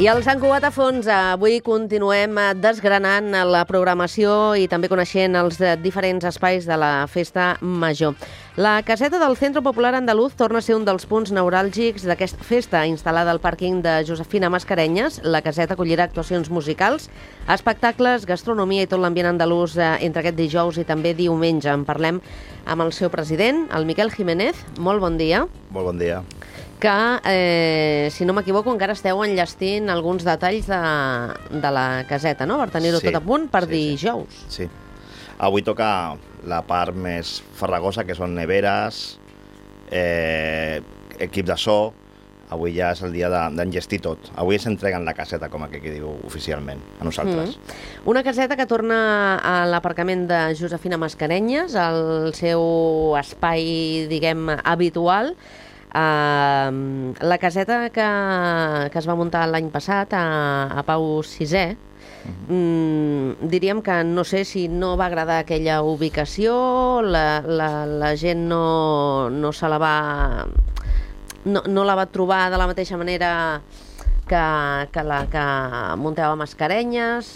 I al Sant Cugat a fons, avui continuem desgranant la programació i també coneixent els diferents espais de la Festa Major. La caseta del Centro Popular Andaluz torna a ser un dels punts neuràlgics d'aquesta festa, instal·lada al pàrquing de Josefina Mascarenyes. La caseta acollirà actuacions musicals, espectacles, gastronomia i tot l'ambient andalús entre aquest dijous i també diumenge. En parlem amb el seu president, el Miquel Jiménez. Molt bon dia. Molt bon dia. Que, si no m'equivoco, encara esteu enllestint alguns detalls de la caseta, no? Per tenir-ho tot a punt per dijous. Sí. Avui toca la part més farragosa, que són neveres, equip de so. Avui ja és el dia d'enllestir tot. Avui ens entreguen la caseta, com aquí diu oficialment, a nosaltres. Una caseta que torna a l'aparcament de Josefina Mascarenyes, al seu espai, diguem, habitual. La caseta que es va muntar l'any passat a Pau VI, diríem que no sé si no va agradar aquella ubicació, la gent no se la va... No la va trobar de la mateixa manera que la que muntava Mascarenyes.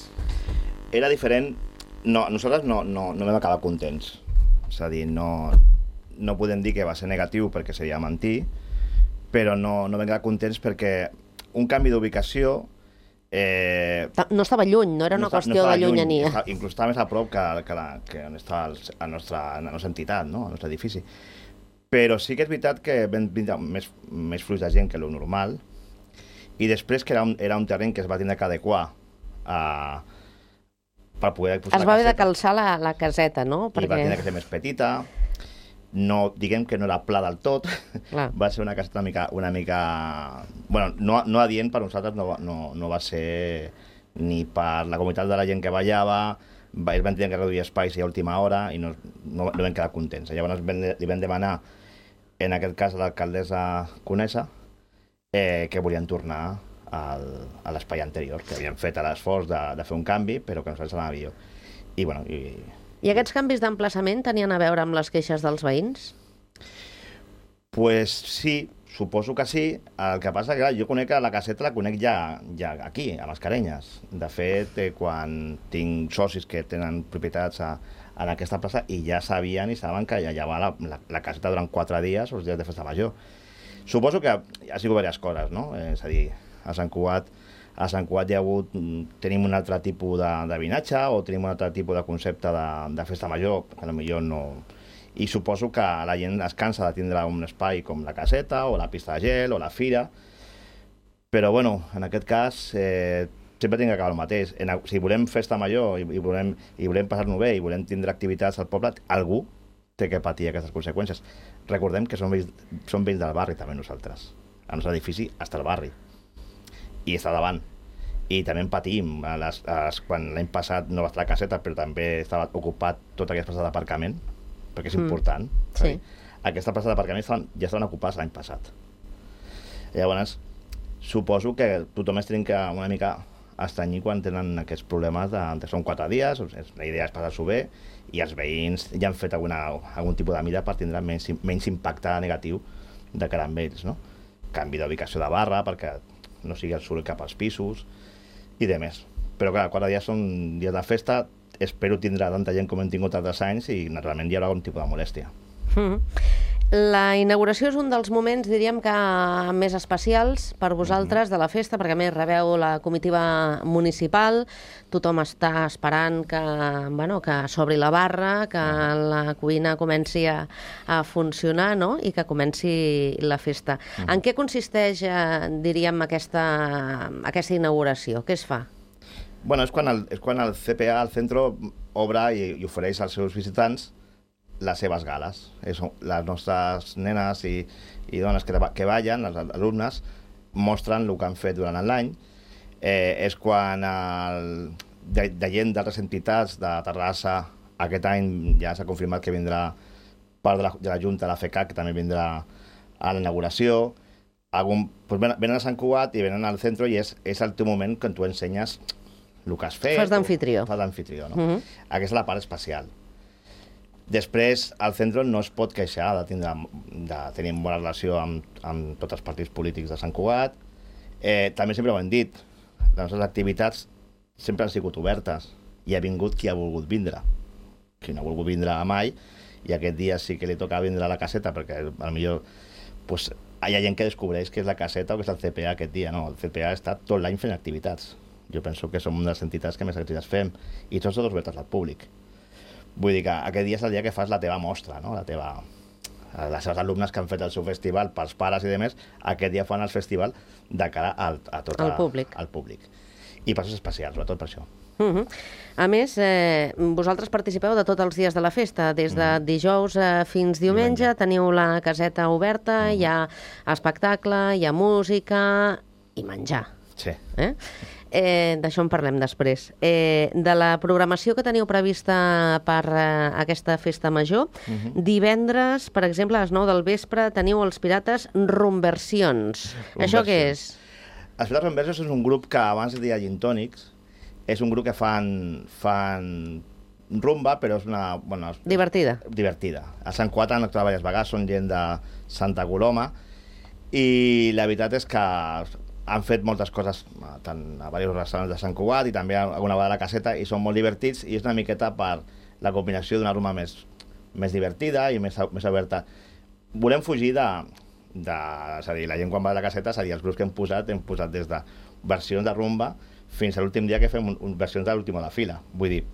Era diferent. No, nosaltres no vam acabar contents. És a dir, no podem dir que va ser negatiu perquè seria mentir, però no vam quedar contents perquè un canvi d'ubicació... No estava lluny, no era una qüestió de llunyania. Inclús estava més a prop que on està la nostra entitat, no? El nostre edifici. Però sí que és veritat que vam vindre més flux de gent que el normal, i després que era un terreny que es va tindre que adequar per poder posar es va haver de calçar la caseta, no? I va tenir que ser més petita. No, diguem que no era pla del tot. Va ser una caseta una mica... Bueno, no adient per nosaltres, no va ser ni per la comunitat de la gent que ballava. Ells van tenir que reduir espais a última hora i no vam quedar contents. Llavors li vam demanar, en aquest cas a l'alcaldessa Conesa, que volien tornar a l'espai anterior, que havien fet l'esforç de fer un canvi, però que nosaltres anava millor. I aquests canvis d'emplaçament tenien a veure amb les queixes dels veïns? Pues sí, suposo que sí. El que passa que jo conec la caseta, la conec ja aquí, a Mascarenyes. De fet, quan tinc socis que tenen propietats en aquesta plaça i ja sabien i saben que ja va la caseta durant 4 dies, els dies de Festa Major. Suposo que ha sigut diverses coses, no? És a dir, a Sant Cugat tenim un altre tipus de vinatge o tenim un altre tipus de concepte de Festa Major, que potser no... I suposo que la gent es cansa de tindre un espai com la caseta o la pista de gel o la fira, però bueno, en aquest cas sempre tinc que acabar el mateix. Si volem Festa Major i volem passar-nos bé i volem tindre activitats al poble, algú té que patir aquestes conseqüències. Recordem que som veïns del barri també nosaltres. El nostre edifici està al barri i està davant. I també en patim. Quan l'any passat no va estar la caseta, però també estava ocupat tota aquesta plaça d'aparcament, perquè és important. Sí. Aquesta plaça d'aparcament ja estaven ocupades l'any passat. Llavors, suposo que tothom es trenca una mica estranyir quan tenen aquests problemes de són 4 dies, la idea és passar-s'ho bé, i els veïns ja han fet algun tipus de mida per tindre menys impacte negatiu de cara amb ells, no? Canvi d'ubicació de barra perquè no sigui el soroll cap als pisos i demés. Però clar, 4 dies són dies de festa, espero tindrà tanta gent com hem tingut altres anys i naturalment hi haurà algun tipus de molèstia. La inauguració és un dels moments, diríem que més especials per vosaltres de la festa, perquè a més rebeu la comitiva municipal, tothom està esperant que s'obri la barra, que la cuina comenci a funcionar, no? I que comenci la festa. En què consisteix, diríem, aquesta inauguració? Què es fa? Bueno, és quan el CPA, el centre, obre i ofereix als seus visitants les seves gales. Les nostres nenes i dones que ballen, els alumnes, mostren el que han fet durant l'any. És quan de gent d'altres entitats de Terrassa, aquest any ja s'ha confirmat que vindrà part de la Junta, la FECAC, que també vindrà a la inauguració. Venen a Sant Cugat i venen al centre i és el teu moment que tu ensenyes el que has fet. Fas d'amfitrió. Fas d'amfitrió, no? Aquesta és la part especial. Després, el centre no es pot queixar de tenir bona relació amb tots els partits polítics de Sant Cugat. També sempre ho hem dit, les nostres activitats sempre han sigut obertes i ha vingut qui ha volgut vindre. Qui no ha volgut vindre mai, i aquest dia sí que li toca vindre a la caseta, perquè potser pues, hi ha gent que descobreix que és la caseta o que és el CPA aquest dia. No, el CPA està tot l'any fent activitats. Jo penso que som una de les entitats que més activitats fem, i tots obertes al públic. Vull dir que aquest dia és el dia que fas la teva mostra, no? Les seves alumnes que han fet el seu festival pels pares i demés, aquest dia fan el festival de cara a tot al públic. I passos especials, sobretot per això. A més, vosaltres participeu de tots els dies de la festa, des de dijous fins diumenge, teniu la caseta oberta, hi ha espectacle, hi ha música i menjar. Sí. D'això en parlem després. De la programació que teniu prevista per aquesta festa major, divendres, per exemple, a les 9 del vespre, teniu els Pirates Rumversions. Això què és? Els Pirates Rumversions és un grup que abans es deia Gintònics. És un grup que fan rumba, però és una... Divertida. A Sant Cugat han actuat diverses vegades, són gent de Santa Coloma, i la veritat és que han fet moltes coses tant a diversos restaurants de Sant Cugat i també alguna vegada a la caseta, i són molt divertits, i és una miqueta per la combinació d'una rumba més divertida i més oberta. Volem fugir és a dir, la gent quan va a la caseta, és a dir, els grups que hem posat des de versions de rumba fins a l'últim dia que fem versions de l'última de fila. Vull dir,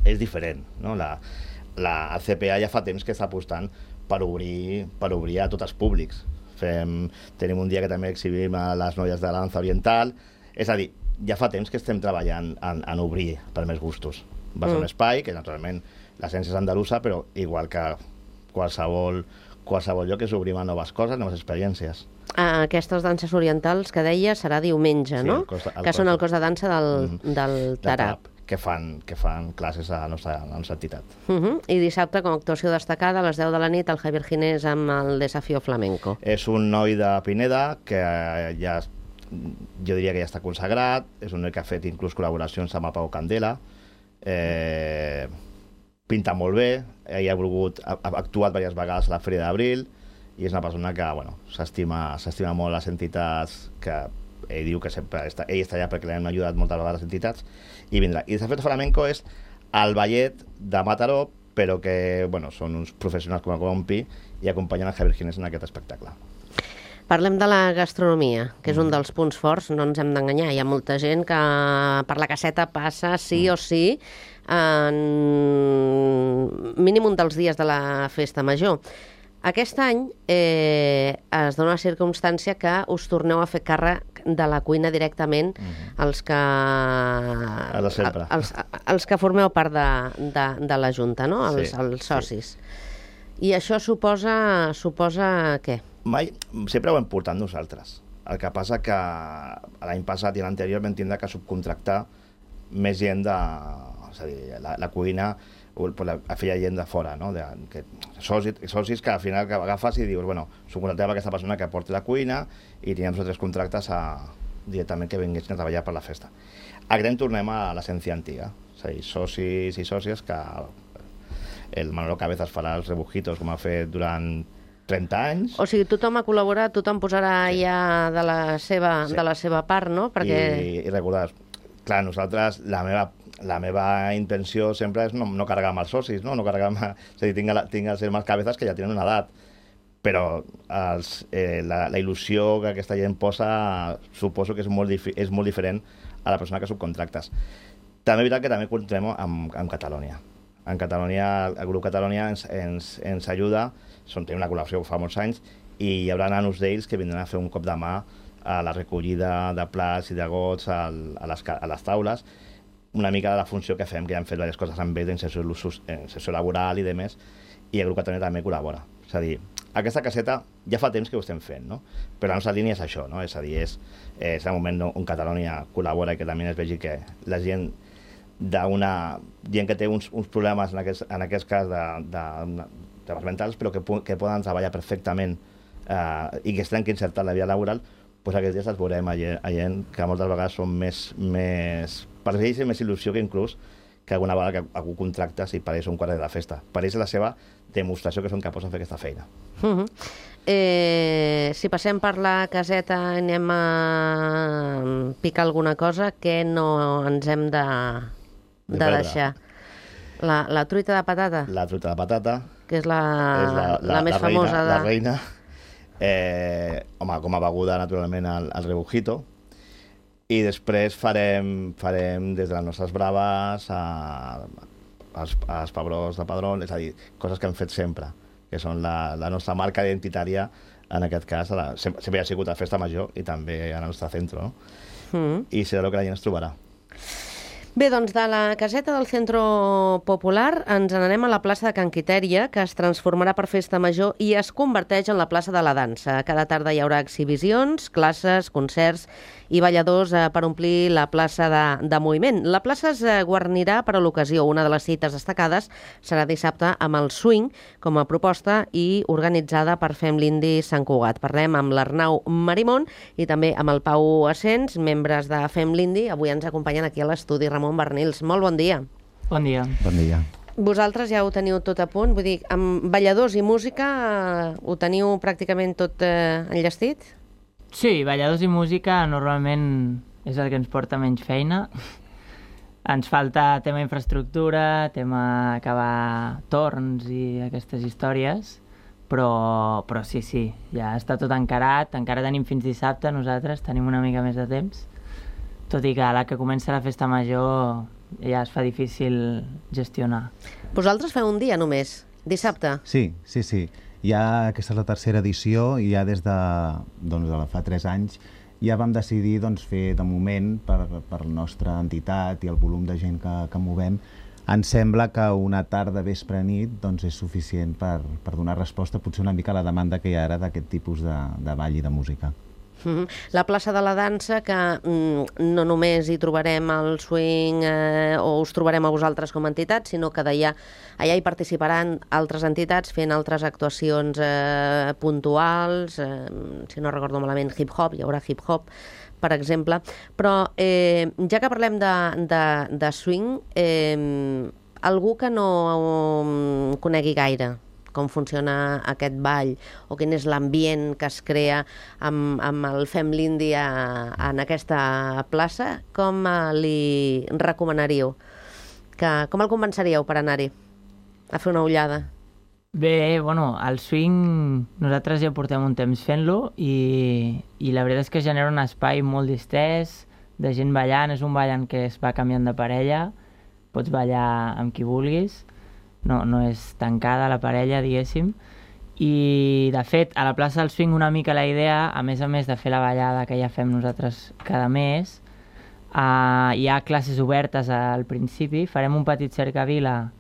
és diferent, no? El CPA ja fa temps que està apostant per obrir a tots els públics. Tenim un dia que també exhibim a les noies de la dansa oriental. És a dir, ja fa temps que estem treballant en obrir per més gustos. Va ser un espai que, naturalment, l'essència és andalusa, però igual que qualsevol lloc és obrim a noves coses, noves experiències. Aquestes danses orientals que deia serà diumenge, no? Que són el cos de dansa del Tarap. Que fan classes a la nostra entitat. I dissabte, com a actuació destacada, a les 10 de la nit, el Javier Ginés amb el Desafío Flamenco. És un noi de Pineda que jo diria que ja està consagrat, és un noi que ha fet inclús col·laboracions amb el Pau Candela, pinta molt bé, ell ha actuat diverses vegades a la Fèria d'Abril, i és una persona que s'estima molt les entitats, que ell diu que sempre està allà perquè l'hem ajudat moltes vegades les entitats, i vindrà. I Desafío Flamenco és el ballet de Mataró, però que són uns professionals com a Compi i acompanyen el Javier Ginés en aquest espectacle. Parlem de la gastronomia, que és un dels punts forts, no ens hem d'enganyar. Hi ha molta gent que per la caseta passa sí o sí en mínim un dels dies de la festa major. Aquest any es dona la circumstància que us torneu a fer càrrec de la cuina directament els que formeu part de la Junta, no? Els socis. I això suposa què? Sempre ho hem portat nosaltres. El que passa que l'any passat i l'anterior vam tindre que subcontractar més gent és a dir, la cuina a feia gent de fora, no? Socis que al final agafes i dius, subcontractem aquesta persona que porti la cuina i teníem nosaltres contractes directament que vinguessin a treballar per la festa. Aquest any tornem a l'essència antiga, és a dir, socis i sòcies que el Manolo Cabezas farà els rebujitos com ha fet durant 30 anys. O sigui, tothom ha col·laborat, tothom posarà ja de la seva part, no? I recordar, clar, nosaltres, la meva intenció sempre és no carregar amb els socis, no carregar amb... És a dir, tinc els germans Cabezas que ja tenen una edat, però la il·lusió que aquesta gent posa suposo que és molt diferent a la persona que subcontractes. També és veritat que també comptem amb Catalunya. En Catalunya, el grup Catalunya ens ajuda, tenim una col·laboració fa molts anys, i hi haurà nanos d'ells que vindran a fer un cop de mà a la recollida de plats i de gots a les taules, una mica de la funció que fem, que ja hem fet diverses coses amb ells d'inserció laboral i demés, i el grup Catalunya també col·labora. És a dir, aquesta caseta ja fa temps que ho estem fent, no? Però la nostra línia és això, no? És a dir, és el moment on Catalunya col·labora i que també es vegi que la gent gent que té uns problemes, en aquest cas de mentals, però que poden treballar perfectament i que es trenqui insertar la vida laboral, doncs aquests dies els veurem a gent que moltes vegades són més per ells és més il·lusió que inclús que alguna vegada que algú contracta si per ells un quart de la festa. Per ells és la seva demostració que són capaços de fer aquesta feina. Si passem per la caseta i anem a picar alguna cosa, què no ens hem de deixar? La truita de patata? La truita de patata. Que és la més famosa. La reina. Home, com a beguda, naturalment, el rebujito. I després farem des de les nostres braves als pebrós de Padrón, és a dir, coses que hem fet sempre, que són la nostra marca identitària, en aquest cas, sempre ha sigut a Festa Major i també al nostre centre, no? I serà el que la gent es trobarà. Bé, doncs de la caseta del Centro Popular ens n'anem a la plaça de Can Quitèria, que es transformarà per Festa Major i es converteix en la plaça de la dansa. Cada tarda hi haurà exhibicions, classes, concerts i balladors per omplir la plaça de moviment. La plaça es guarnirà per a l'ocasió. Una de les cites destacades serà dissabte amb el swing com a proposta i organitzada per Fem l'Indi Sant Cugat. Parlem amb l'Arnau Marimón i també amb el Pau Asens, membres de Fem l'Indi. Avui ens acompanyen aquí a l'estudi Ramon Barnils. Molt bon dia. Bon dia. Bon dia. Vosaltres ja ho teniu tot a punt? Vull dir, amb balladors i música ho teniu pràcticament tot enllestit? Sí, balladors i música normalment és el que ens porta menys feina. Ens falta tema infraestructura, tema acabar torns i aquestes històries, però sí, ja està tot encarat. Encara tenim fins dissabte, nosaltres tenim una mica més de temps, tot i que a la que comença la Festa Major ja es fa difícil gestionar. Vosaltres feu un dia només, dissabte? Sí. Ja aquesta és la tercera edició i ja des de fa 3 anys ja vam decidir fer de moment per la nostra entitat i el volum de gent que movem. Ens sembla que una tarda vespre nit és suficient per donar resposta potser una mica a la demanda que hi ha ara d'aquest tipus de ball i de música. La plaça de la dansa, que no només hi trobarem el swing o us trobarem a vosaltres com a entitat, sinó que allà hi participaran altres entitats fent altres actuacions puntuals, si no recordo malament, hip-hop, hi haurà hip-hop, per exemple. Però ja que parlem de swing, algú que no conegui gaire com funciona aquest ball o quin és l'ambient que es crea amb el Fem l'Indi en aquesta plaça, com li recomanaríeu? Com el convenceríeu per anar-hi a fer una ullada? Bé, el swing nosaltres ja portem un temps fent-lo i la veritat és que genera un espai molt distès, de gent ballant, és un ball en què es va canviant de parella, pots ballar amb qui vulguis, no és tancada la parella, diguéssim, i de fet a la plaça del swing una mica la idea, a més de fer la ballada que ja fem nosaltres cada mes, hi ha classes obertes al principi, farem un petit cercavila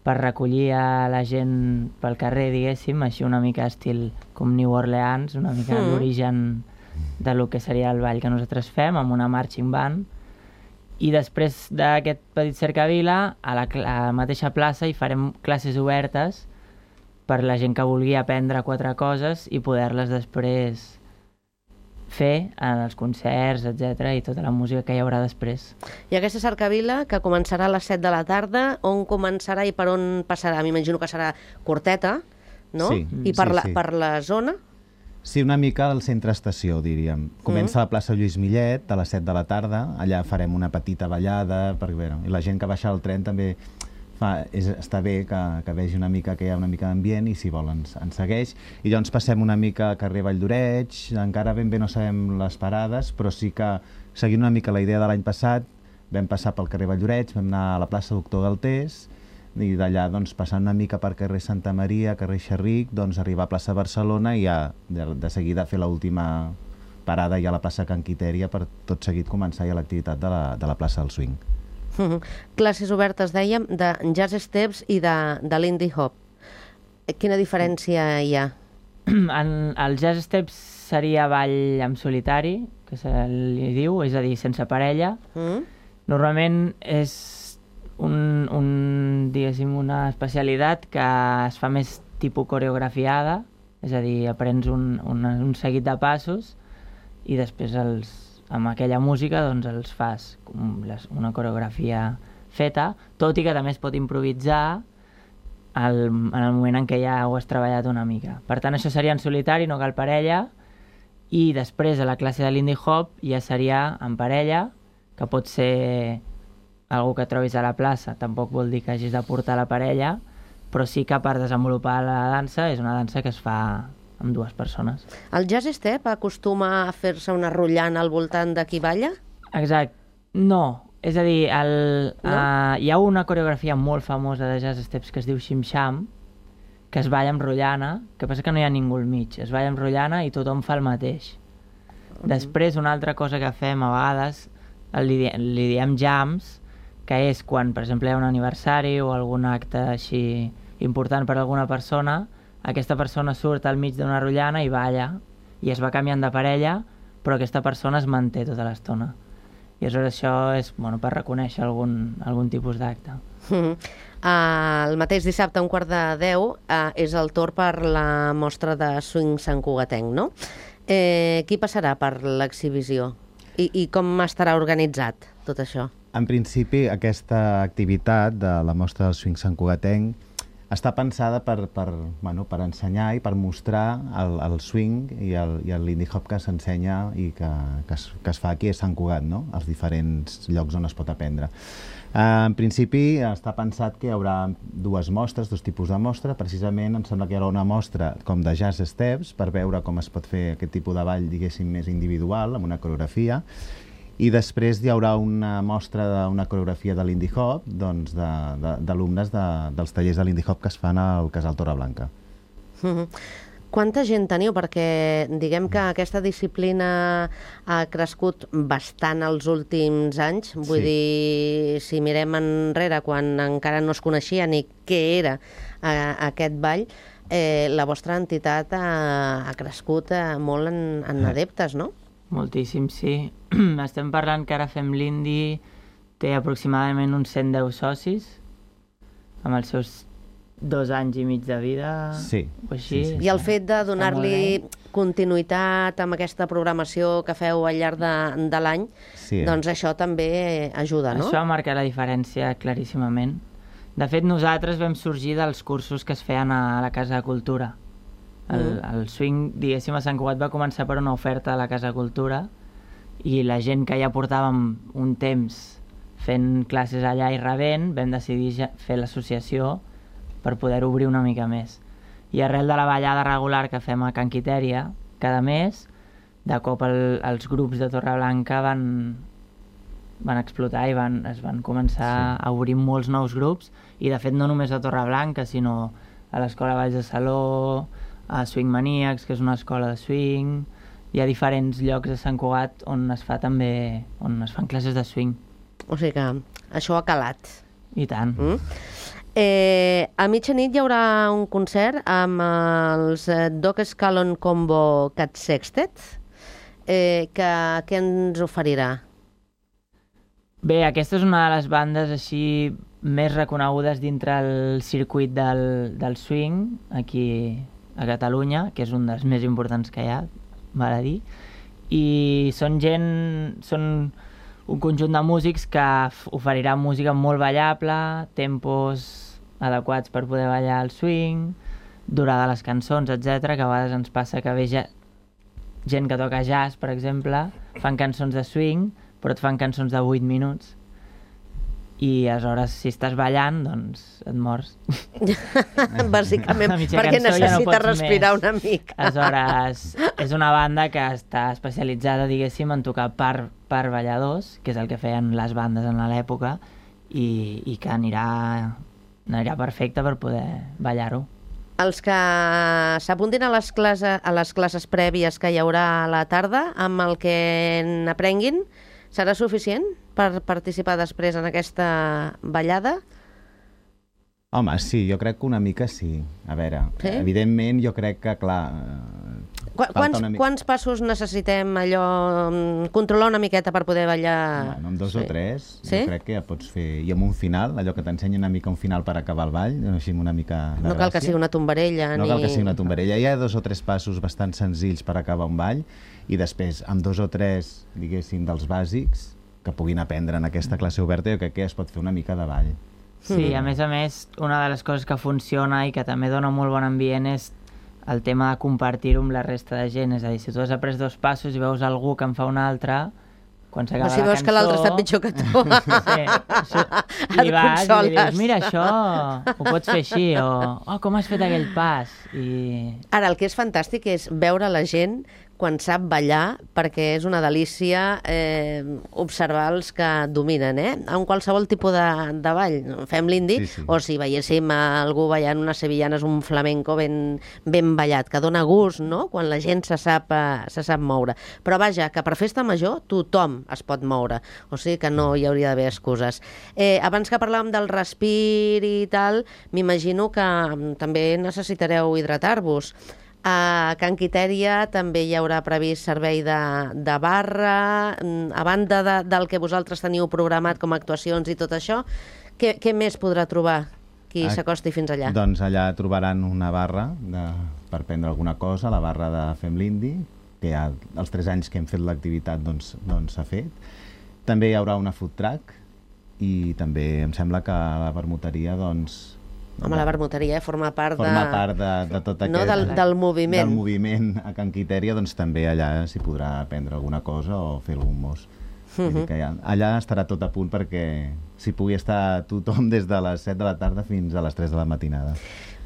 per recollir a la gent pel carrer, diguéssim, així una mica estil com New Orleans, una mica l'origen de lo que seria el ball que nosaltres fem, amb una marching band. I després d'aquest petit cercavila, a la mateixa plaça hi farem classes obertes per la gent que vulgui aprendre 4 coses i poder-les després fer en els concerts, etc., i tota la música que hi haurà després. I aquesta cercavila, que començarà a les 7 de la tarda, on començarà i per on passarà? M'imagino que serà curteta, no? Sí. I per la zona? Sí, una mica al centre-estació, diríem. Comença a la plaça Lluís Millet a les 7 de la tarda, allà farem una petita ballada, i la gent que baixa al tren també està bé que vegi una mica que hi ha una mica d'ambient i si vol ens segueix. I llavors passem una mica a carrer Vall d'Oreig, encara ben bé no sabem les parades, però sí que seguint una mica la idea de l'any passat, vam passar pel carrer Vall d'Oreig, vam anar a la plaça Doctor Galtés, i d'allà passant una mica per carrer Santa Maria, carrer Xerric, arribar a plaça Barcelona i ja de seguida fer l'última parada ja a la plaça Can Quitèria per tot seguit començar ja l'activitat de la plaça del swing. Classes obertes, dèiem, de jazz steps i de l'indie hop. Quina diferència hi ha? El jazz steps seria ball en solitari, que se li diu, és a dir, sense parella. Normalment és diguéssim, una especialitat que es fa més tipus coreografiada, és a dir, aprens un seguit de passos i després amb aquella música doncs els fas una coreografia feta, tot i que també es pot improvisar en el moment en què ja ho has treballat una mica. Per tant, això seria en solitari, no cal parella, i després a la classe de Lindy Hop ja seria en parella, que pot ser algú que trobis a la plaça, tampoc vol dir que hagis de portar la parella, però sí que per desenvolupar la dansa és una dansa que es fa amb dues persones. El jazz step acostuma a fer-se una rotllana al voltant de qui balla? Exacte. No. És a dir, hi ha una coreografia molt famosa de jazz steps que es diu Shim Sham, que es balla amb rotllana, que passa que no hi ha ningú al mig. Es balla amb rotllana i tothom fa el mateix. Després, una altra cosa que fem a vegades, li diem jams, que és quan, per exemple, hi ha un aniversari o algun acte així important per a alguna persona, aquesta persona surt al mig d'una rotllana i balla, i es va canviant de parella, però aquesta persona es manté tota l'estona. I aleshores això és per reconèixer algun tipus d'acte. El mateix dissabte, a 9:45, és el torn per la mostra de swing santcugatenc, no? Qui passarà per l'exhibició? I com estarà organitzat tot això? En principi, aquesta activitat de la mostra del swing santcugatenc està pensada per ensenyar i per mostrar el swing i el Lindy Hop que s'ensenya i que es fa aquí a Sant Cugat, no? Els diferents llocs on es pot aprendre. En principi està pensat que hi haurà dos tipus de mostra. Precisament em sembla que hi haurà una mostra com de jazz steps per veure com es pot fer aquest tipus de ball, diguéssim, més individual, amb una coreografia. I després hi haurà una mostra d'una coreografia de Lindy Hop, doncs d'alumnes dels tallers de Lindy Hop que es fan al Casal Torreblanca. Quanta gent teniu? Perquè diguem que aquesta disciplina ha crescut bastant els últims anys. Vull dir, si mirem enrere, quan encara no es coneixia ni què era aquest ball, la vostra entitat ha crescut molt en adeptes, no? Moltíssim, sí. Estem parlant que ara Fem Lindy té aproximadament uns 110 socis, amb els seus 2 anys i mig de vida, o així. I el fet de donar-li continuïtat amb aquesta programació que feu al llarg de l'any, doncs això també ajuda, no? Això marca la diferència claríssimament. De fet, nosaltres vam sorgir dels cursos que es feien a la Casa de Cultura. El swing, diguéssim, a Sant Cugat va començar per una oferta a la Casa de Cultura i la gent que ja portàvem un temps fent classes allà i rebent, vam decidir fer l'associació per poder obrir una mica més. I arrel de la ballada regular que fem a Can Quitèria cada mes, de cop els grups de Torreblanca van explotar i es van començar a obrir molts nous grups, i de fet no només a Torreblanca, sinó a l'Escola Valls de Saló, a Swing Maníacs, que és una escola de swing. Hi ha diferents llocs a Sant Cugat on es fan classes de swing. O sigui que això ha calat. I tant. A mitjanit hi haurà un concert amb els Dog Scallon Combo Cat Sextet. Què ens oferirà? Bé, aquesta és una de les bandes així més reconegudes dintre el circuit del swing aquí a Catalunya, que és un dels més importants que hi ha, val a dir. I són un conjunt de músics que oferirà música molt ballable, tempos adequats per poder ballar el swing, durada de les cançons, etc. Que a vegades ens passa que ve gent que toca jazz, per exemple, fan cançons de swing, però et fan cançons de 8 minuts. I aleshores, si estàs ballant, doncs et mors. Bàsicament, perquè necessites respirar una mica. Aleshores, és una banda que està especialitzada, diguéssim, en tocar per balladors, que és el que feien les bandes en l'època, i que anirà perfecte per poder ballar-ho. Els que s'apuntin a les classes prèvies que hi haurà a la tarda, amb el que n'aprenguin, serà suficient per participar després en aquesta ballada? Home, sí, jo crec que una mica sí. A veure, evidentment jo crec que, clar... Quants passos necessitem allò, controlar una miqueta per poder ballar? Bueno, amb 2 o 3, jo crec que ja pots fer... I amb un final, allò que t'ensenya una mica un final per acabar el ball, així una mica de No cal que sigui una tombarella. No cal que sigui una tombarella. Hi ha 2 o 3 passos bastant senzills per acabar un ball i després, amb 2 o 3, diguéssim, dels bàsics que puguin aprendre en aquesta classe oberta, jo crec que es pot fer una mica de ball. Sí, a més, una de les coses que funciona i que també dona molt bon ambient és el tema de compartir-ho amb la resta de gent. És a dir, si tu has après 2 passos i veus algú que en fa un altre, quan s'acaba la cançó... O si veus que l'altre està pitjor que tu. Li vas i li dius, mira, això ho pots fer així, o com has fet aquell pas. Ara, el que és fantàstic és veure la gent quan sap ballar, perquè és una delícia observar els que dominen, en qualsevol tipus de ball. Fem l'indi, o si veiéssim algú ballant unes sevillanes, un flamenco ben ballat, que dona gust, no?, quan la gent se sap moure. Però vaja, que per festa major tothom es pot moure, o sigui que no hi hauria d'haver excuses. Abans que parlàvem del respir i tal, m'imagino que també necessitareu hidratar-vos. A Can Quitèria també hi haurà previst servei de barra. A banda del que vosaltres teniu programat com a actuacions i tot això, què més podrà trobar qui s'acosti fins allà? Doncs allà trobaran una barra per prendre alguna cosa, la barra de Fem l'Indi, que ja els 3 anys que hem fet l'activitat doncs s'ha fet. També hi haurà una food truck i també em sembla que la vermuteria doncs... Home, la vermuteria forma part de tot aquest... No, del moviment. Del moviment a Can Quitèria, doncs també allà s'hi podrà prendre alguna cosa o fer algun mos. Allà estarà tot a punt perquè s'hi pugui estar tothom des de les 7 de la tarda fins a les 3 de la matinada.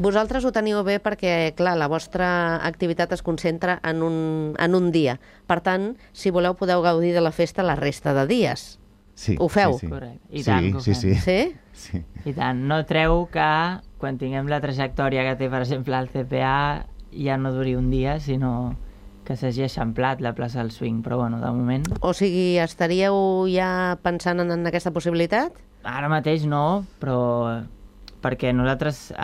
Vosaltres ho teniu bé perquè, clar, la vostra activitat es concentra en un dia. Per tant, si voleu, podeu gaudir de la festa la resta de dies. Sí, ho feu? Sí. Correcte. I tant que ho fem. Sí? Sí. I tant. No treu que quan tinguem la trajectòria que té, per exemple, el CPA, ja no duri un dia, sinó que s'hagi eixamplat la plaça del swing. Però, bueno, de moment... O sigui, estaríeu ja pensant en aquesta possibilitat? Ara mateix no, però perquè nosaltres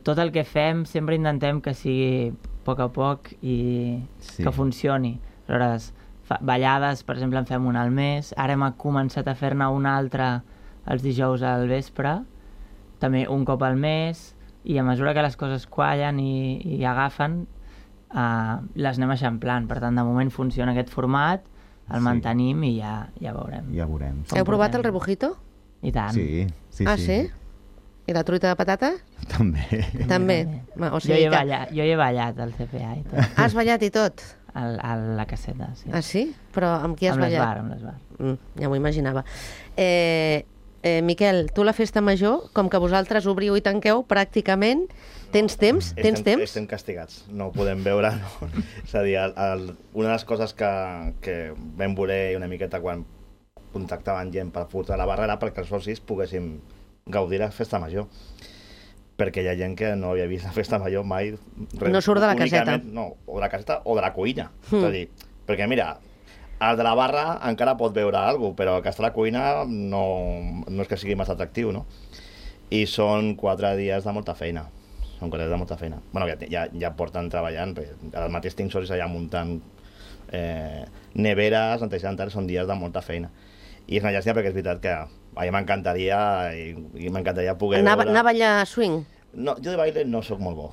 tot el que fem sempre intentem que sigui a poc i que funcioni. Aleshores, ballades, per exemple, en fem una al mes. Ara hem començat a fer-ne una altra els dijous al vespre, també un cop al mes, i a mesura que les coses quallen i agafen, les anem eixamplant. Per tant, de moment funciona aquest format, el mantenim i ja veurem. Ja veurem. Heu provat el rebujito? I tant. Sí. Ah, sí? I la truita de patata? També. O sigui, jo he ballat al CPA i tot. Has ballat i tot? A la caseta, sí. Ah, sí? Però amb qui has ballat? Amb l'Esbar. Ja m'ho imaginava. Miquel, tu la festa major, com que vosaltres obriu i tanqueu pràcticament, tens temps? Estem castigats, no ho podem veure. No. És a dir, una de les coses que vam voler una miqueta quan contactaven gent per portar la barra era perquè els socis poguéssim gaudir la festa major. Perquè hi ha gent que no havia vist la festa major mai. No surt de la caseta. No, o de la caseta o de la cuina. És a dir, perquè mira, el de la barra encara pot veure alguna cosa, però el que està a la cuina no és que sigui massa atractiu, no? I són 4 dies de molta feina. Bueno, ja porten treballant, al mateix tinc socis allà muntant neveres, netejant, són dies de molta feina. I és una llàstima perquè és veritat que a mi m'encantaria poder veure... Anar a ballar swing? No, jo de baile no sóc molt bo.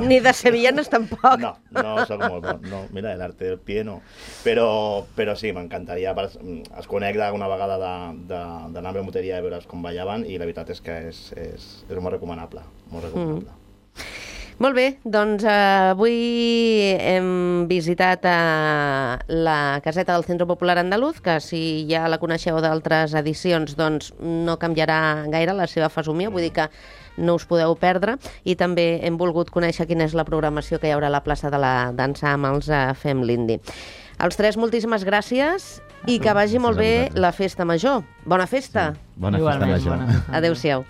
Ni de sevillanes tampoc. No sóc molt bo. No, mira, l'arte del pie no. Però sí, m'encantaria. Es conec d'alguna vegada d'anar a la moteria i veure com ballaven i la veritat és que és molt recomanable. Molt recomanable. Molt bé, doncs avui hem visitat la caseta del Centre Popular Andaluz, que si ja la coneixeu d'altres edicions, doncs no canviarà gaire la seva fesomia, vull dir que no us podeu perdre, i també hem volgut conèixer quina és la programació que hi haurà a la plaça de la dansa amb els Fem l'Indi. Els 3, moltíssimes gràcies i que vagi molt bé la festa major. Bona festa! Bona festa major. Adéu-siau.